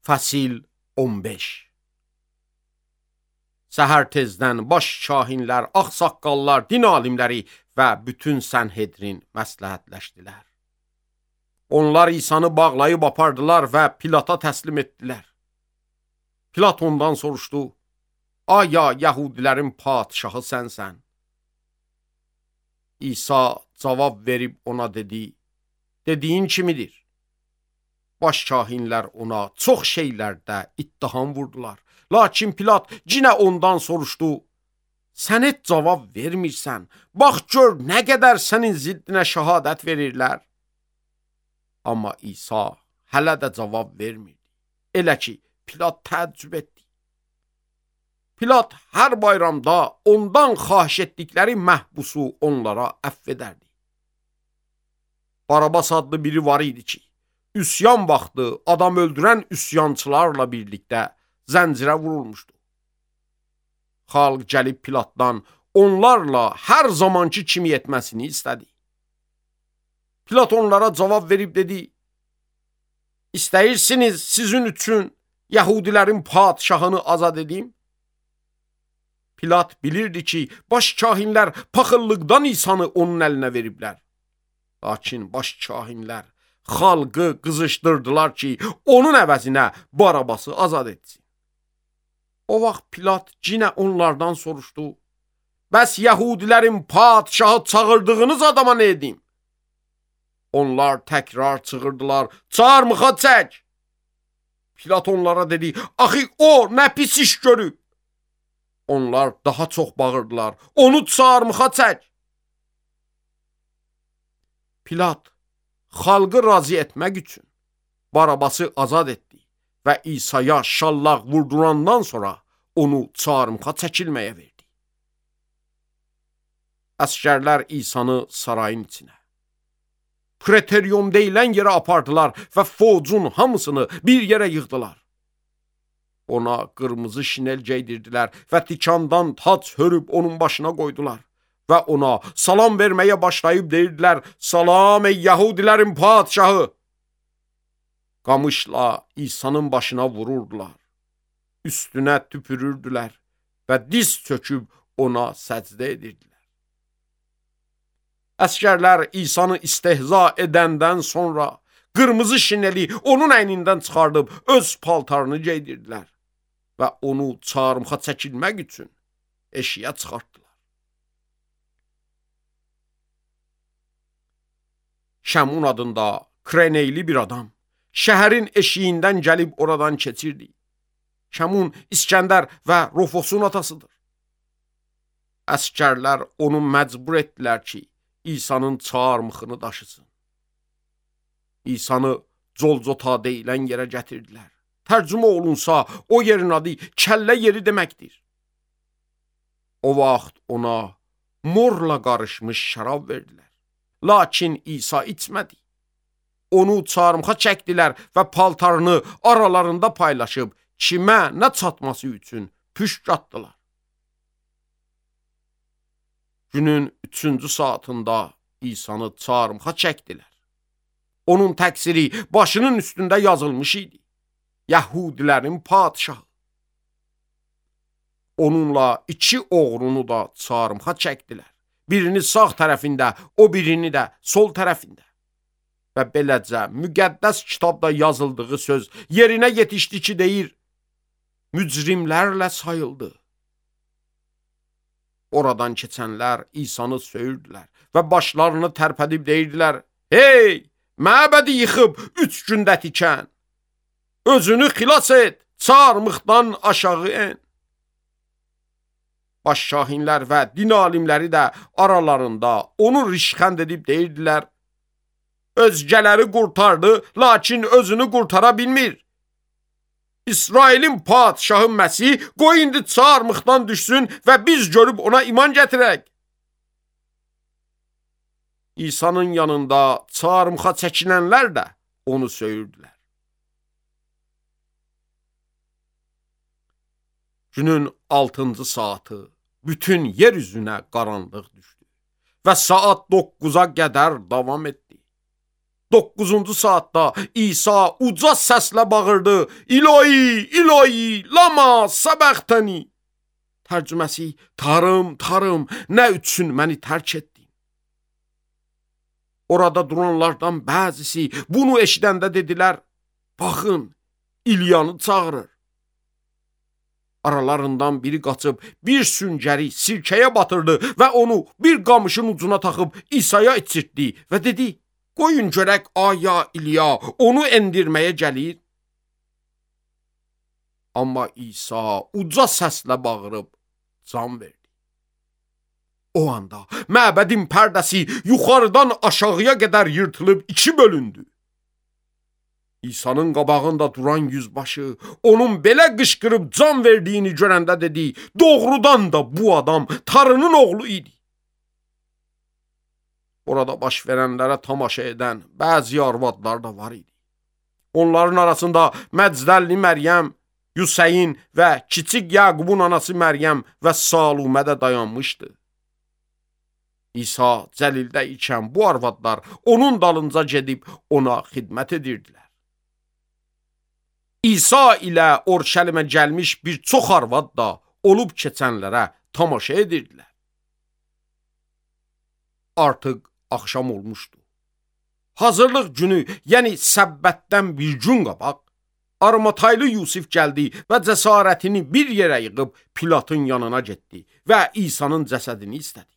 Fəsil 15. Səhər tezdən baş şahinlər, ağsaqqallar, din alimləri və bütün Sənhedrin məsləhətləşdilər. Onlar İsanı bağlayıb apardılar və Pilata təslim etdilər. Pilat ondan soruşdu: "Aya Yəhudilərin padşahı sənsən?" İsa cavab verib ona dedi: "Dediyin kimidir?" Baş şahinlər ona çox şeylərdə ittiham vurdular. Lakin Pilat yenə ondan soruşdu: "Sən heç cavab vermirsən. Bax gör nə qədər sənin ziddinə şəhadət verirlər." Amma İsa hələ də cavab vermirdi. Elə ki, Pilat təəccüb etdi. Pilat hər bayramda ondan xahiş etdikləri məhbusu onlara əfv edərdi. Barabas adlı biri var idi ki, üsyan vaxtı adam öldürən üsyançılarla birlikdə zəncirə vurulmuşdu. Xalq gəlib Pilatdan onlarla hər zamanki kimi etməsini istədi. Pilat onlara cavab verib dedi: "İstəyirsiniz sizin üçün Yəhudilərin padşahını azad edim?" Pilat bilirdi ki, baş kahinlər paxıllıqdan İsanı onun əlinə veriblər. Lakin baş kahinlər xalqı qızışdırdılar ki, onun əvəzinə Barabası azad etsin. O vaxt Pilat yenə onlardan soruşdu: "Bəs Yəhudilərin padşahı çağırdığınız adama nə edim?" Onlar təkrar çığırdılar: "Çarmıxa çək!" Pilat onlara dedi: "Axı o nə pis iş görüb?" Onlar daha çox bağırdılar: "Onu çarmıxa çək!" Pilat xalqı razı etmək üçün Barabası azad etdi və İsa'ya şallaq vurdurandan sonra onu çarmıxa çəkilməyə verdi. Əsgərlər İsa'nı sarayın içinə, Preterium deyilən yerə apardılar və focun hamısını bir yerə yığdılar. Ona qırmızı şinel geydirdilər və tikandan tac hörüb onun başına qoydular. Və ona salam verməyə başlayıb deyirdilər: "Salam ey Yəhudilərin padşahı!" Qamışla İsa'nın başına vururdular, üstünə tüpürürdülər və diz çöküb ona səcdə edirdilər. Əsgərlər İsa'nı istehza edəndən sonra qırmızı şineli onun əynindən çıxardıb öz paltarını geydirdilər və onu çarmıxa çəkilmək üçün eşiyə çıxartdılar. Şəmun adında Kreneyli bir adam şəhərin eşiyindən gəlib oradan keçirdi. Şəmun İskəndər və Rofosun atasıdır. Əsgərlər onu məcbur etdilər ki, İsa'nın çarmıxını daşısın. İsa'nı Colcota deyilən yerə gətirdilər. Tərcümə olunsa, o yerin adı kəllə yeri deməkdir. O vaxt ona morla qarışmış şərab verdilər. Lakin İsa içmədi. Onu çarmıxa çəkdilər və paltarını aralarında paylaşıb kimə nə çatması üçün püşk atdılar. Günün 3-cü saatında İsa'nı çarmıxa çəkdilər. Onun təqsiri başının üstündə yazılmış idi: Yəhudilərin padşahı. Onunla 2 oğrunu da çarmıxa çəkdilər. Birini sağ tərəfində, o birini də sol tərəfində. Və beləcə müqəddəs kitabda yazıldığı söz yerinə yetişdi ki, deyir: mücrimlərlə sayıldı. Oradan keçənlər İsa'nı söyürdülər və başlarını tərpədib deyirdilər: "Hey, məbədi yıxıb 3 gündə tikən, özünü xilas et, çarmıxdan aşağı en." Baş şahinlər və din alimləri də aralarında onu rişxənd edib deyirdilər: "Özgələri qurtardı, lakin özünü qurtara bilmir. İsrailin padşahı Məsih qoy indi çarmıxdan düşsün və biz görüb ona iman gətirək." İsa'nın yanında çarmıxa çəkilənlər də onu söyürdülər. Günün 6-cı saatı bütün yer üzünə qaranlıq düşdü və saat 9-a qədər davam etdi. 9-cu saatda İsa uca səslə bağırdı: İlahi, İlahi, lama səbəxtəni. Tərcüməsi: Tanrım, Tanrım, nə üçün məni tərk etdin? Orada duranlardan bəzisi bunu eşidəndə dedilər: Baxın, İlyanı çağırır. Aralarından biri qaçıb bir süngəri sirkəyə batırdı və onu bir qamışın ucuna taxıb İsa'ya içirtdi və dedi: Qoyun görək aya İlya onu endirməyə gəlir. Amma İsa uca səslə bağırıb can verdi. O anda məbədin pərdəsi yuxarıdan aşağıya qədər yırtılıb 2 bölündü. İsa'nın qabağında duran yüzbaşı onun belə qışqırıb can verdiyini görəndə dedi: Doğrudan da bu adam Tanrının oğlu idi. Orada baş verənlərə tamaşa edən bəzi arvadlar da var idi. Onların arasında Məcdəlli Məryəm, Yuseyin və kiçik Yaqubun anası Məryəm və Salumə də dayanmışdı. İsa Cəlildə ikən bu arvadlar onun dalınca gedib ona xidmət edirdilər. İsa ilə Orşəlimə gəlmiş bir çox arvad da olub keçənlərə tamaşa edirdilər. Artıq axşam olmuşdu. Hazırlıq günü, yəni səbbətdən bir gün qabaq, Armataylı Yusif gəldi və cəsarətini bir yerə yığıb Pilatın yanına getdi və İsa'nın cəsədini istədi.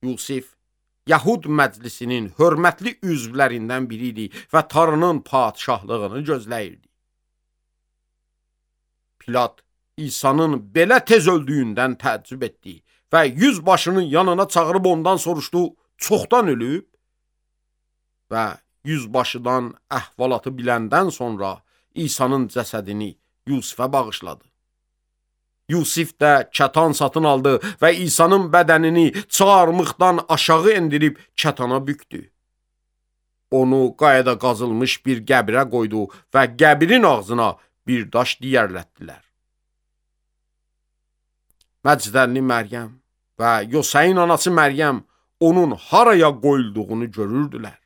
Yusif, Yahud məclisinin hörmətli üzvlərindən biri idi və Tanrının padşahlığını gözləyirdi. Pilat İsa'nın belə tez öldüyündən təəccüb etdi və yüzbaşının yanına çağırıb ondan soruşdu: Çoxdan ölüb? Və yüzbaşıdan əhvalatı biləndən sonra İsa'nın cəsədini Yusifə bağışladı. Yusif də kətan satın aldı və İsa'nın bədənini çarmıqdan aşağı endirib kətana bükdü. Onu qayada qazılmış bir qəbrə qoydu və qəbrin ağzına bir daş diyərlətdilər. Məcdəlli Məryəm və Yoseyin anası Məryəm onun haraya qoyulduğunu görürdülər.